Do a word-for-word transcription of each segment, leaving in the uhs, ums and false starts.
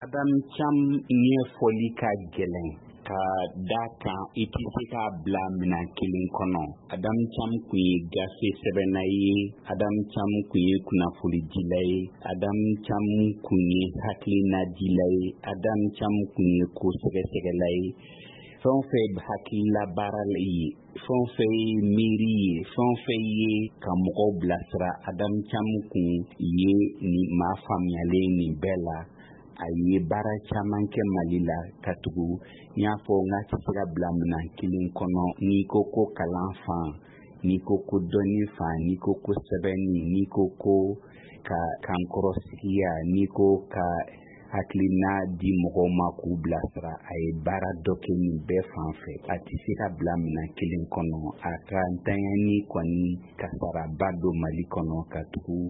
Adam Cam ɲɛfɔli ka gɛlɛn ka da kan, i tɛ se k'a bila minɛn kelen kɔnɔ. Adam Cam kun ye gafe sɛbɛnna ye, Adam Cam kun ye kunnafonidila ye, Adam Cam kun ye hakilinadila ye, Adam Cam kun ye ko sɛgɛsɛgɛla ye. Fɛn o fɛn hakilila baara ye, fɛn o fɛn ye miiri ye, fɛn o fɛn ye ka mɔgɔw bilasira, Adam Cam kun ye nin maa faamuyalen nin bɛɛ la. A ye baara caman kɛ Mali la, ka tugu n y'a fɔ n k'a tɛ se ka bila minɛn kelen kɔnɔ. N'i ko ko kalan fan, n'i ko ko dɔnni fan, n'i ko ko sɛbɛnni, n'i ko ko ka kankɔrɔsigiya, n'i ko ka hakilina di mɔgɔw ma k'u bilasira, a ye baara dɔ kɛ nin bɛɛ fan fɛ. A tɛ se ka bila minɛn kelen kɔnɔ. A ka ntanyani kɔni kasaraba don Mali kɔnɔ, ka tugu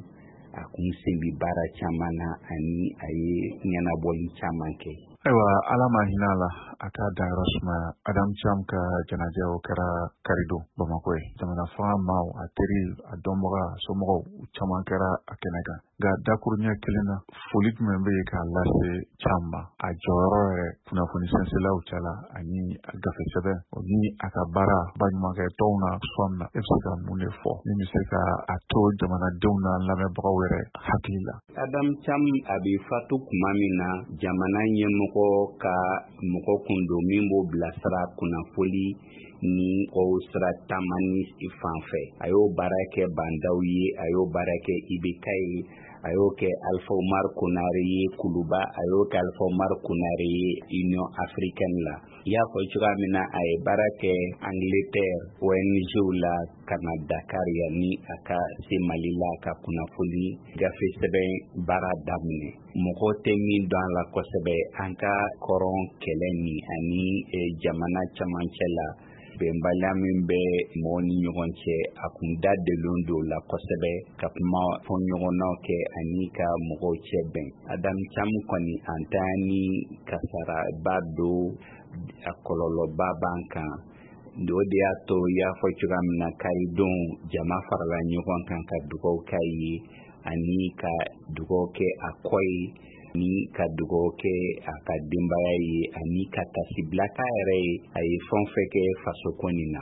a kun sen bi baara caman na ani a ye ɲɛnabɔli caman kɛ. Ayiwa, Ala ma hinɛ a la, a k'a dayɔrɔ sumaya. Adam Cam ka jɛnajɛ, o kɛra karidon Bamakɔ ye. Jamana fanga maaw, a teri, a dɔnbaga, somɔgɔw caman kɛra a kɛnɛ kan. Nka dakuruɲɛ kelen na, foli jumɛn bɛ yen k'a lase Cam ma, a jɔyɔrɔ yɛrɛ kunnafoni sɛnsɛlaw cɛla ani a gafe sɛbɛn o ni a ka baara baɲumankɛ tɔnw na sɔn na? E bɛ se ka mun de fɔ min bɛ se ka a to jamanadenw na lamɛnbagaw yɛrɛ hakili la? Adam Cam a bɛ fatu tuma min na, jamana ɲɛmɔgɔ ka mɔgɔ kun don min b'o bilasira kunnafoli ni kɔw sira taamani fan fɛ. A y'o baara kɛ Bandaw ye, a y'o baara kɛ I B K ye, a y'o kɛ Alpha Umar Konare ye Kuluba, a y'o kɛ Alpha Umar Konare ye Union africaine la. I y'a fɔ cogoya min na, a ye baara kɛ Angleterre O N G la ka na Dakar yanni a ka se Mali la ka kunnafoni gafe sɛbɛn baara daminɛ. Mɔgɔ tɛ min dɔn a la kosɛbɛ, an ka kɔrɔn kɛlɛ nin ani jamana camancɛ la bɛnbaliya min bɛ mɔgɔw ni ɲɔgɔn cɛ, a kun da delen don la kosɛbɛ ka kuma fɔ ɲɔgɔnnaw kɛ ani ka mɔgɔw cɛ bɛn. Adam Cam kɔni, an ta ni kasaraba don, a kɔlɔlɔba b'an kan. O de y'a to, i y'a fɔ cogoya min na, karidon jama farala ɲɔgɔn kan ka dugawu k'a ye ani ka dugawu kɛ a kɔ ye, ni ka dugawu kɛ a ka denbaya ye, ani ka tasibila k'a yɛrɛ ye, a ye fɛn fɛn kɛ fasoko nin na.